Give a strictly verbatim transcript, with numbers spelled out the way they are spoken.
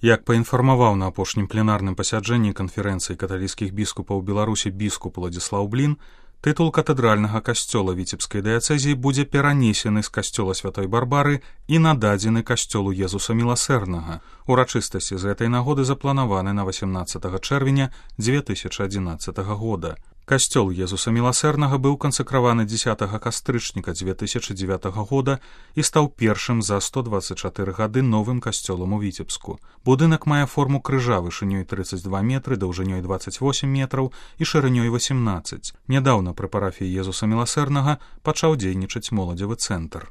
Як паінфармаваў на апошнім пленарным пасяджэнні канферэнцыі каталіцкіх біскупаў Беларусі біскуп Уладзіслаў Блін, тытул катэдральнага касцёла Віцебскай дыяцэзіі будзе перанесены з касцёла Святой Барбары і нададзены касцёлу Езуса Міласэрнага. Урачыстасці з гэтай нагоды запланаваны на васямнаццатага чэрвеня дзве тысячы адзінаццатага года. Касцёл Езуса Міласэрнага быў кансакраваны дзесятага кастрычніка дзве тысячы дзевятага года і стаў першым за сто дваццаць чатыры гады новым касцёлам у Віцебску. Будынак мае форму крыжа вышынёй трыццаць два метры, даўжынёй дваццаць восем метраў і шырынёй васемнаццаць. Нядаўна пры парафіі Езуса Міласэрнага пачаў дзейнічаць моладзевы цэнтр.